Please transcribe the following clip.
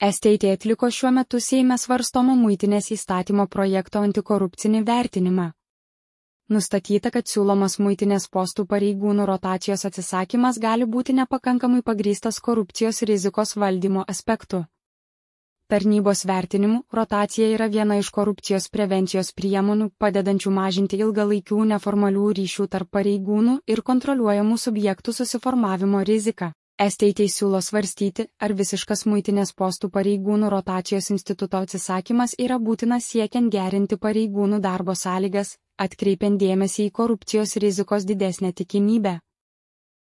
STT atliko šiuo metu Seime svarstomo muitinės įstatymo projekto antikorupcinį vertinimą. Nustatyta, kad siūlomas muitinės postų pareigūnų rotacijos atsisakymas gali būti nepakankamai pagrįstas korupcijos rizikos valdymo aspektu. Tarnybos vertinimu, rotacija yra viena iš korupcijos prevencijos priemonių, padedančių mažinti ilgalaikių neformalių ryšių tarp pareigūnų ir kontroliuojamų subjektų susiformavimo riziką. STT siūlo svarstyti, ar visiškas muitinės postų pareigūnų rotacijos instituto atsisakymas yra būtinas siekiant gerinti pareigūnų darbo sąlygas, atkreipiant dėmesį į korupcijos rizikos didesnę tikimybę.